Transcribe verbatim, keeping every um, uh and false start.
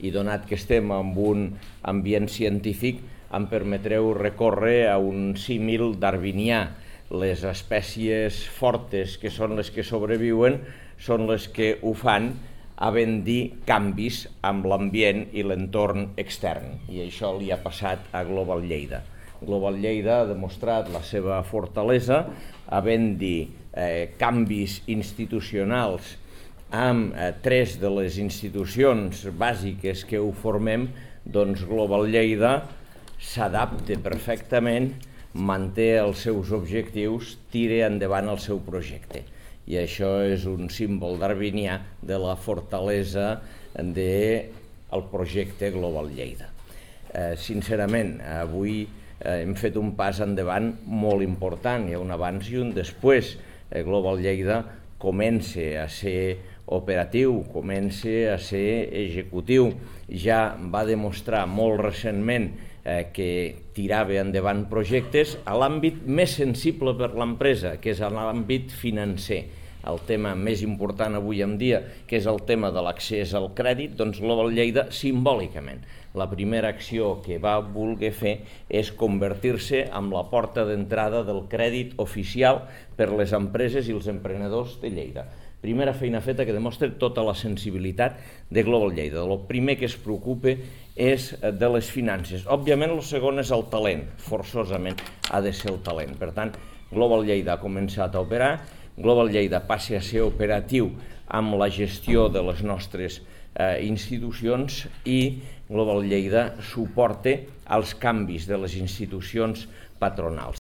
i donat que estem en un ambient científic, em permetreu recórrer a un símil darwinià. Les espècies fortes, que són les que sobreviuen, són les que ho fan havent dir canvis amb l'ambient i l'entorn extern. I això li ha passat a Global Lleida. Global Lleida ha demostrat la seva fortalesa havent dit eh, canvis institucionals amb eh, tres de les institucions bàsiques que ho formem, doncs Global Lleida s'adapta perfectament, manté els seus objectius, tira endavant el seu projecte. I això és un símbol darwinià de la fortalesa del projecte Global Lleida. Eh, sincerament, avui eh, hem fet un pas endavant molt important, hi ha un abans i un després. Eh, Global Lleida comença a ser operatiu, comença a ser executiu. Ja va demostrar molt recentment eh, que tirava endavant projectes a l'àmbit més sensible per l'empresa, que és l'àmbit financer. El tema més important avui en dia, que és el tema de l'accés al crèdit, doncs Global Lleida, simbòlicament, la primera acció que va voler fer és convertir-se en la porta d'entrada del crèdit oficial per les empreses i els emprenedors de Lleida. Primera feina feta que demostra tota la sensibilitat de Global Lleida. El primer que es preocupa és de les finances. Òbviament, el segon és el talent. Forçosament ha de ser el talent. Per tant, Global Lleida ha començat a operar. Global Lleida passa a ser operatiu amb la gestió de les nostres eh, institucions i Global Lleida suporta els canvis de les institucions patronals.